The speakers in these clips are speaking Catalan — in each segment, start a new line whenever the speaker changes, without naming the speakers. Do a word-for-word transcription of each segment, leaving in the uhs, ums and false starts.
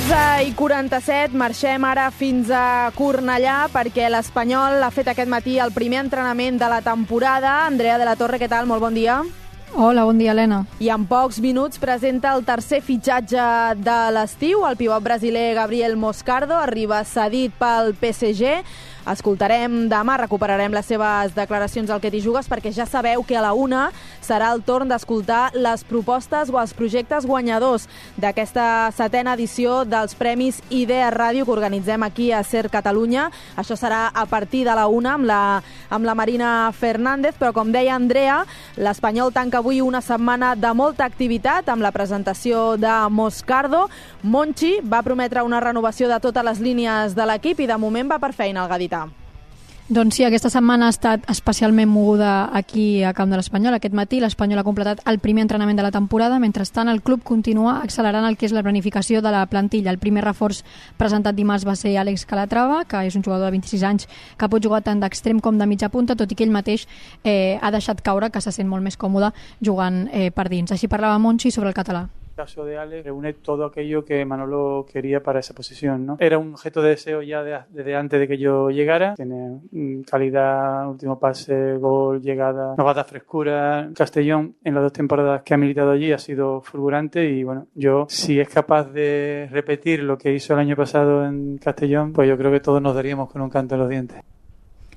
onze i quaranta-set, marxem ara fins a Cornellà perquè l'Espanyol ha fet aquest matí el primer entrenament de la temporada. Andrea de la Torre, què tal? Molt bon dia.
Hola, bon dia, Helena.
I en pocs minuts presenta el tercer fitxatge de l'estiu. El pivot brasiler Gabriel Moscardo arriba cedit pel P S G. Escoltarem demà, recuperarem les seves declaracions al Que t'hi jugues, perquè ja sabeu que a la una serà el torn d'escoltar les propostes o els projectes guanyadors d'aquesta setena edició dels Premis Idea Ràdio que organitzem aquí a SER Catalunya. Això serà a partir de la una amb la, amb la Marina Fernández, però com deia Andrea, l'Espanyol tanca avui una setmana de molta activitat amb la presentació de Moscardo. Monchi va prometre una renovació de totes les línies de l'equip i de moment va per feina el gadità.
Doncs sí, aquesta setmana ha estat especialment moguda aquí a Camp de l'Espanyol. Aquest matí l'Espanyol ha completat el primer entrenament de la temporada. Mentrestant, el club continua accelerant el que és la planificació de la plantilla. El primer reforç presentat dimarts va ser Àlex Calatrava, que és un jugador de vint-i-sis anys que pot jugar tant d'extrem com de mitja punta, tot i que ell mateix eh, ha deixat caure que se sent molt més còmode jugant eh, per dins. Així parlava Monchi sobre el català.
El caso de Alex reúne todo aquello que Manolo quería para esa posición, ¿no? Era un objeto de deseo ya de, desde antes de que yo llegara. Tiene calidad, último pase, gol, llegada, nos va a dar frescura. Castellón, en las dos temporadas que ha militado allí, ha sido fulgurante y bueno, yo, si es capaz de repetir lo que hizo el año pasado en Castellón, pues yo creo que todos nos daríamos con un canto en los dientes.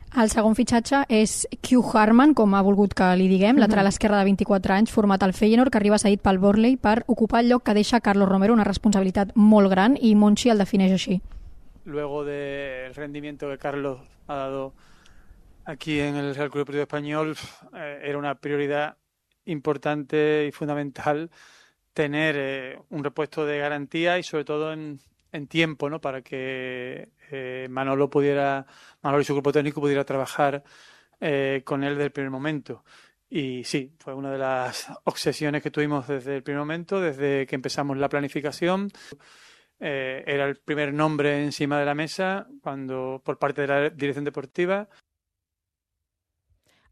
El segon fitxatge és Q Harman, com ha volgut que li diguem, uh-huh. lateral esquerre de vint-i-quatre anys, format al Feyenoord, que arriba cedit pel Burnley per ocupar el lloc que deixa Carlos Romero, una responsabilitat molt gran, i Monchi el defineix així.
Luego del rendimiento que Carlos ha dado aquí en el Real Club Deportivo Español, eh, era una prioridad importante y fundamental tener eh, un repuesto de garantía y sobre todo en, en tiempo, ¿no? Para que eh, Manolo pudiera, Manolo y su grupo técnico pudiera trabajar eh, con él desde el primer momento. Y sí, fue una de las obsesiones que tuvimos desde el primer momento, desde que empezamos la planificación. Eh, era el primer nombre encima de la mesa cuando por parte de la dirección deportiva.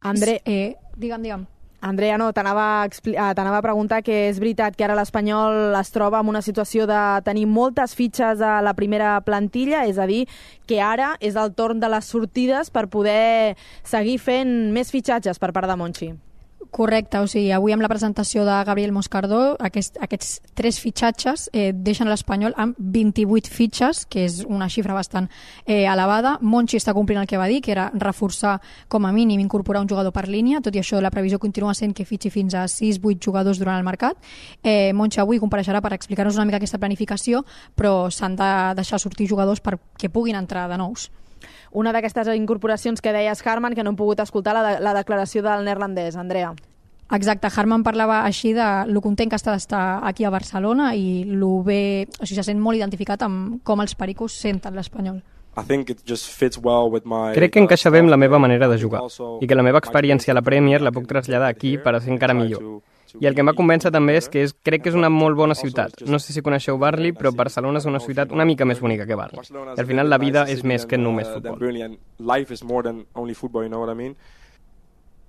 André,
eh, digue'm, digue'm.
Andrea, no, t'anava a, expli- t'anava a preguntar que és veritat que ara l'Espanyol es troba en una situació de tenir moltes fitxes a la primera plantilla, és a dir, que ara és el torn de les sortides per poder seguir fent més fitxatges per part de Monchi.
Correcte, o sigui, avui amb la presentació de Gabriel Moscardo, aquest, aquests tres fitxatges eh, deixen l'Espanyol amb vint-i-vuit fitxes, que és una xifra bastant eh, elevada. Monchi està complint el que va dir, que era reforçar com a mínim, incorporar un jugador per línia. Tot i això, la previsió continua sent que fitxi fins a sis vuit jugadors durant el mercat. Eh, Monchi avui compareixerà per explicar-nos una mica aquesta planificació, però s'han de deixar sortir jugadors perquè puguin entrar de nous.
Una d'aquestes incorporacions que deies, Harman, que no hem pogut escoltar la, de, la declaració del neerlandès, Andrea.
Exacte, Harman parlava així de lo content que està d'estar aquí a Barcelona i lo bé, o sigui, se sent molt identificat amb com els pericos senten l'Espanyol.
Crec que encaixa bé amb la meva manera de jugar i que la meva experiència a la Premier la puc traslladar aquí per a ser encara millor. I el que em va convèncer també és que és, crec que és una molt bona ciutat. No sé si coneixeu Burnley, però Barcelona és una ciutat una mica més bonica que Burnley. I al final la vida és més que només futbol.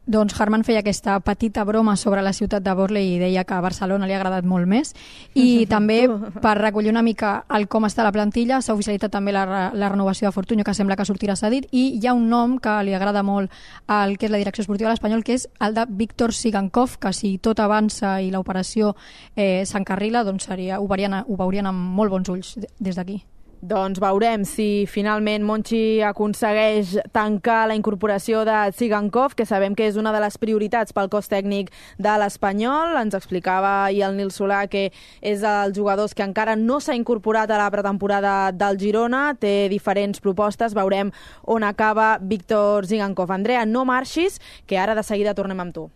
Doncs Harman feia aquesta petita broma sobre la ciutat de Burnley i deia que a Barcelona li ha agradat molt més. I també, per recollir una mica el com està la plantilla, s'ha oficialitzat també la, la renovació de Fortunyo, que sembla que sortirà cedit, i hi ha un nom que li agrada molt al que és la direcció esportiva de l'Espanyol, que és el de Víctor Sigankov, que si tot avança i l'operació eh, s'encarrila, doncs seria, ho, veurien, ho veurien amb molt bons ulls des d'aquí.
Doncs veurem si finalment Monchi aconsegueix tancar la incorporació de Tsigankov, que sabem que és una de les prioritats pel cos tècnic de l'Espanyol. Ens explicava ahir el Nil Solà que és dels jugadors que encara no s'ha incorporat a la pretemporada del Girona, té diferents propostes, veurem on acaba Víctor Tsigankov. Andrea, no marxis, que ara de seguida tornem amb tu.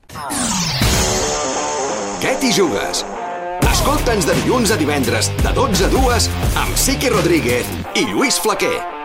Què t'hi jugues? Escolta'ns de dilluns a divendres, de dotze a dues, amb Siqui Rodríguez i Lluís Flaquer.